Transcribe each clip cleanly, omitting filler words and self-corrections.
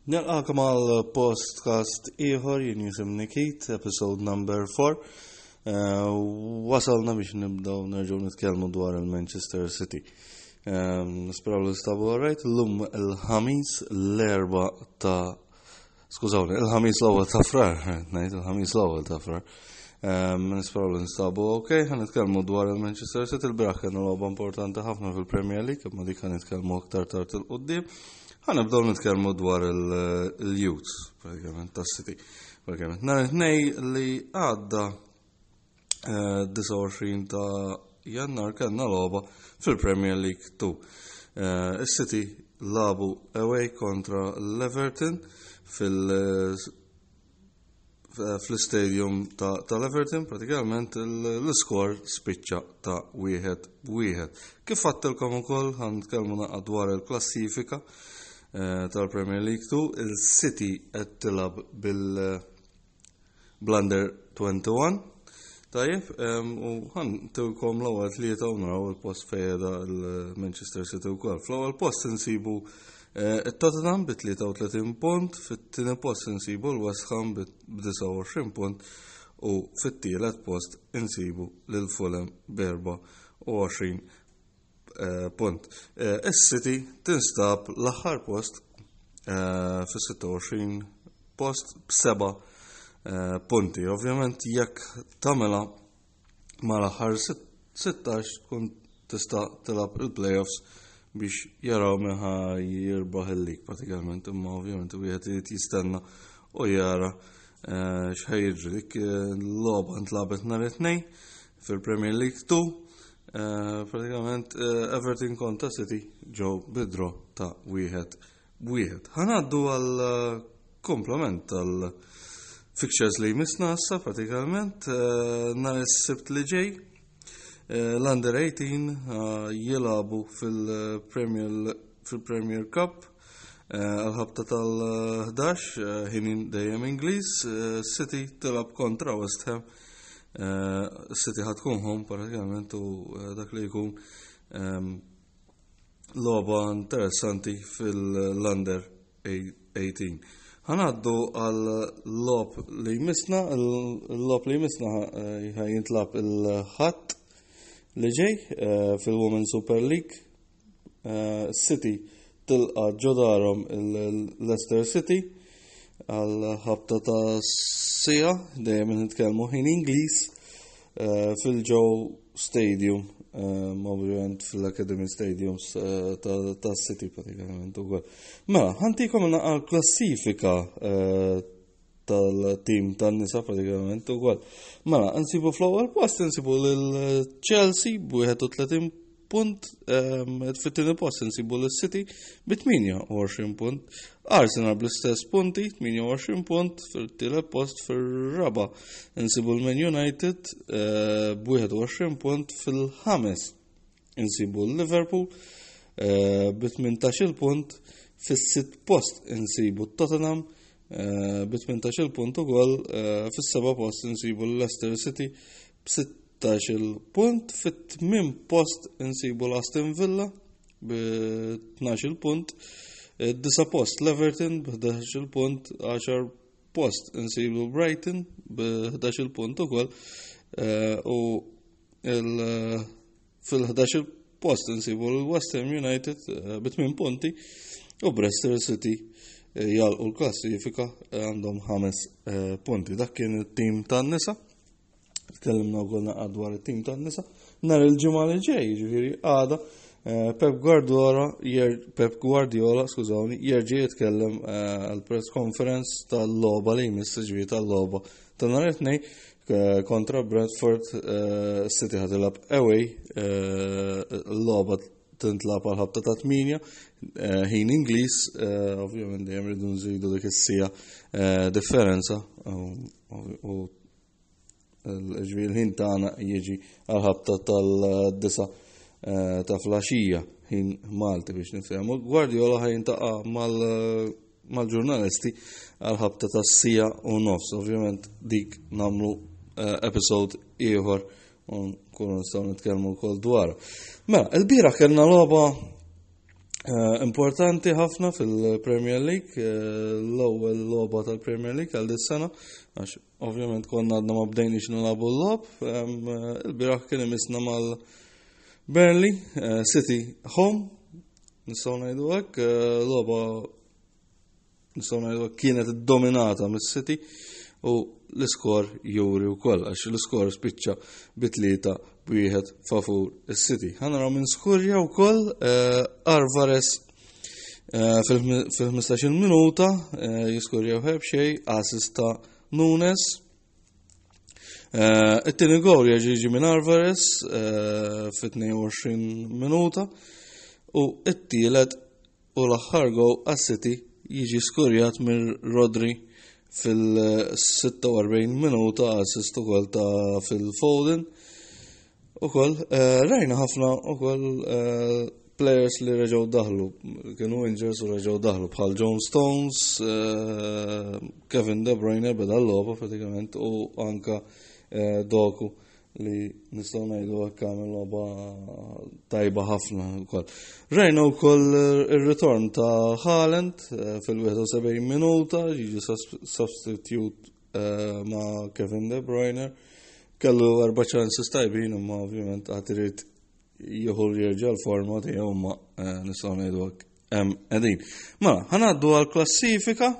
Nilqakom għal podcast ieħor jien jisimni Keith, episode number 4. Eh, wasalna biex nibdew nerġgħu nitkellmu dwar il-Manchester City. Eh, nisperaw li stabu għarajt, l-lum il-ħamis l-erba ta' Skużawni, il-ħamis l-ewwel ta' frar, ngħid il-ħamis l-ewwel ta' frar. Ehm, nisperaw li nstabu ok, ħan nitkellmu dwar il-Manchester City, il-biraħ kienu logħba importanti ħafna fil-Premier League, imma dik ħan nitkellmu aktar tard il-qudiem. Ħan nibdew nitkellmu dwar il-youths, pratikament tas-City. Pratikament nhar it-tnej li għadda 29 eh, ta' Jannar kellna logħba fil-Premier League 2. Eh, Is-City labu away kontra l-Everton fil- fl-istadium tal-Everton pratikament l-iskor spiċċa ta' wieħed wieħed. Kif għattilkom ukoll ħan nitkellmu naqgħad dwar il-klassifika eh, tal-Premier League 2, il-City qed tilab bil- Blunder 21. Tajjeb, u ħan tilkom l-ewwel tlieta u naraw il-post fejda l-Manchester City wkoll. Fl-ewwel post insibu eh, it-Tottenham bi 33 punt, fit-tieni post insibu l-West Ham bi 29 punt u fit-tielet post insibu lil Fulham b'24 eh, punt. Eh, Is-City tinstab l-aħħar post eh, fis-26 post b'seba' punti. Ovvjament jekk tagħmilha mal-aħħar 16 tkun tista' tilgħab il-playoffs biex jaraw min ħa jirbaħ il-lig pratikament, imma ovvjament wieħed irid jistenna u jara x'ħaj jiġri. Dik l-logħba ntlagħbet nhar it-tnejn fil-Premier League 2 eh, pratikament eh, Everton kontra City ġew bidro ta' wieħed b'wieħed. Ħanaddu għal eh, komplement tal fixtures li jmissna issa pratikament nhar is-Sibt li ġej l-Under 18 jilabu fil-Premier fil-Premier Cup għal-ħabta tal-11 ħinin dejjem Ingliż City tilab kontra West Ham Eh, City ħad tkun home pratikament u eh, dak li jkun ehm, logħba interessanti fil-Under 18. Ħanaddu għal lob li jmissna, il-lob li jmissna eh, jintlab il-ħadd li ġej fil-Women Super League Eh, City tilqa ġodarhom il-Leicester City għal ħabta ta' sija dejjem nitkellmu ħin Ingliż eh, fil-Joe Stadium eh, ovvjament fil-Academy Stadiums ta' City pratikament ukoll. Mela, ħantikom naqal klassifika tal-tim tan-nisa pratikament ukoll. Mela, nsibu fl-ewwel post nsibu lil Chelsea b'31 punt, ehm, fit-tieni post nsibu lil City bi 28 punt, Arsenal bl-istess punti 28 punt, fil-tielet post fir-raba nsibu l-Man United eh, b'21 punt fil-ħames Insibu l-Liverpool eh, bi 18 punt fis-sitt post insibu Tottenham eh, bi 18 punt ukoll eh, fis-seba' post insibu l-Leicester City b'16 punt fit-tmien post insibu l-Aston Villa bi 12 punt disa post l-Everton b'11 punt 10 post insibu Brighton b'11 punt ukoll u fil-11 post insibu l-West Ham United eh, bi 8 punti u Bristol City eh, jalqu l-klassifika eh, għandhom 5 punti. Dak kien it-tim tan-nisa. Tkellimna wkoll naqgħad dwar it-tim tan-nisa. Nhar il-ġimgħa li ġej, jiġifieri għada, Pep Guardiola, Pep Guardiola, skużawni, jerġa' jitkellem għal press conference tal-logħba li jmiss ġifieri tal-logħba ta' nhar it-tnejn eh, kontra Brentford eh, City ħad tilab away eh, l-logħba tintlab għal ħabta ta' 8 ħin Ingliż, ovvjament dejjem rridu nżidu dik is-sija differenza u l-ħin tagħna jiġi għal ħabta tal-disa ta' flaxija ħin Malti biex nifhemu. Guardiola ħajn taqa' mal mal-ġurnalisti għal ħabta ta' sija u nofs. Ovvjament dik namlu eh, episode ieħor u nkunu nistgħu nitkellmu wkoll dwar. Mela, il-bira kellna logħba Eh, importanti ħafna fil-Premier League, eh, l-ewwel logħba tal-Premier League għal dis-sena, għax ovvjament konna għadna ma bdejniex nilagħbu l-logħob, eh, il-bieraħ kien imisna mal Burnley City home, nistgħu ngħidu hekk, logħba nistgħu ngħidu kienet dominata mis-City u l-iskor juri wkoll għax l-iskor spiċċa bi tlieta b'wieħed favur is-City. Ħa naraw minn skurja wkoll eh, Alvarez eh, fil-15 minuta eh, jiskurja wieħed xejn assist ta' Nunes. It-tieni gol jiġi minn Alvarez fit-22 minuta u it-tielet U l-aħħar goal għas-City jiġi skurjat minn Rodri fil-46 minuta assist ukoll ta' Phil Foden. Ukoll eh, rajna ħafna ukoll eh, players li reġgħu daħlu, kienu injuries u reġgħu daħlu bħal John Stones, eh, Kevin De Bruyne beda l-logħba pratikament u anka Doku li nistgħu ngħidu hekk għamel logħba tajba ħafna wkoll. Rajna wkoll ir-ritorn ta' Haaland eh, fil-71 minuta, jiġi substitute eh, ma' Kevin De Bruyne. Kellu erba' chances tajbin imma ovvjament għad irid jieħu jerġa' l-forma tiegħu ma eh, nistgħu ngħidu hekk hemm qegħdin. Mela, ħanaddu għall-klassifika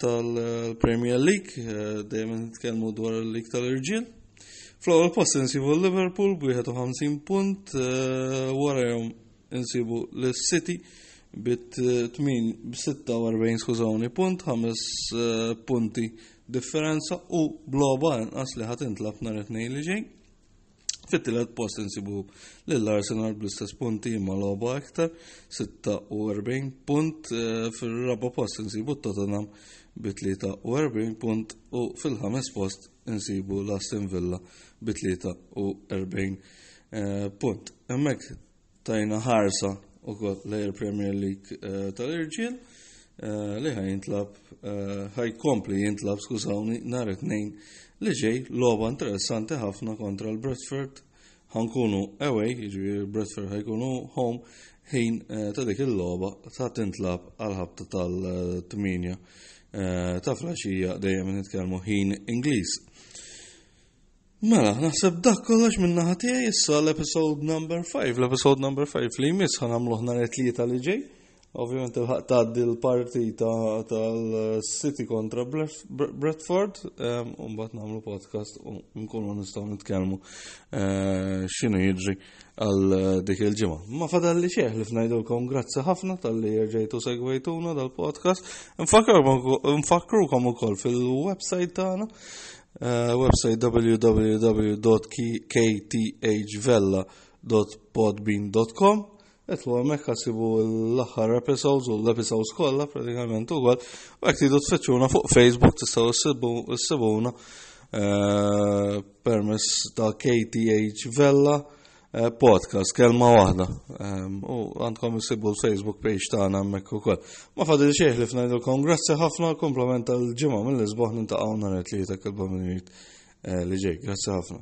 tal-Premier League, eh, dejjem nitkellmu dwar il-League tal-Irġiel. Fl-ewwel post insibu Liverpool b'51 punt, eh, warahom insibu l-City bit 46 skużawni punt, 5 eh, punti differenza u bloba inqas li ħadd intlab nhar it-tnejn li ġej. Fit-tielet post insibu lil Arsenal bl-istess punti imma logħba iktar, 46 punt. Eh, fir-raba post insibu Tottenham bi 43 punt u fil-ħames post insibu l-Aston Villa bi 43 eh, punt. Hemmhekk tajna ħarsa ukoll lejn il-Premier League eh, tal-irġiel eh, li ħaj jintlab eh, ħajkompli jintlab skużawni nhar it-tnejn li ġej logħba interessanti ħafna kontra l-Bradford ħankunu away, jiġifieri Bradford ħajkunu home ħin ta' dik il-logħba ta' tintlab għal ħabta tal-8 ta' flaxija dejjem nitkellmu ħin Ingliż. Mela, naħseb dak kollox minn naħa tiegħi issa l-episode number 5. L-episode number 5 li jmiss ħanamluh nhar it-tlieta li ġej. Ovvjament il-ħaq tgħaddi l-partita tal-City kontra Bradford, u mbagħad nagħmlu podcast u nkunu nistgħu nitkellmu eh, x'inhu jiġri għal dik il-ġimgħa. Ma fadalli xejn li fnajdulkom grazzi ħafna tal-li rġejtu segwejtuna dal-podcast. Nfakkrukom ukoll fil-website tagħna Eh, website www.kthvella.podbean.com Etlu għamek ħasibu l-axar episodes u l-episodes kollha pratikament ukoll. U jekk tridu tfittxuna fuq Facebook tistgħu ssibuna eh, permess ta' KTH Vella Eh, podcast, kelma waħda. Ehm, u għandkom isibu l-Facebook page tagħna hemmhekk ukoll. Ma fadil xejn li fngħidulkom grazzi ħafna komplement tal-ġimgħa mill-isbaħ nintaqgħu nhar it-tlieta kelba minn eh, li ġej. Grazzi ħafna.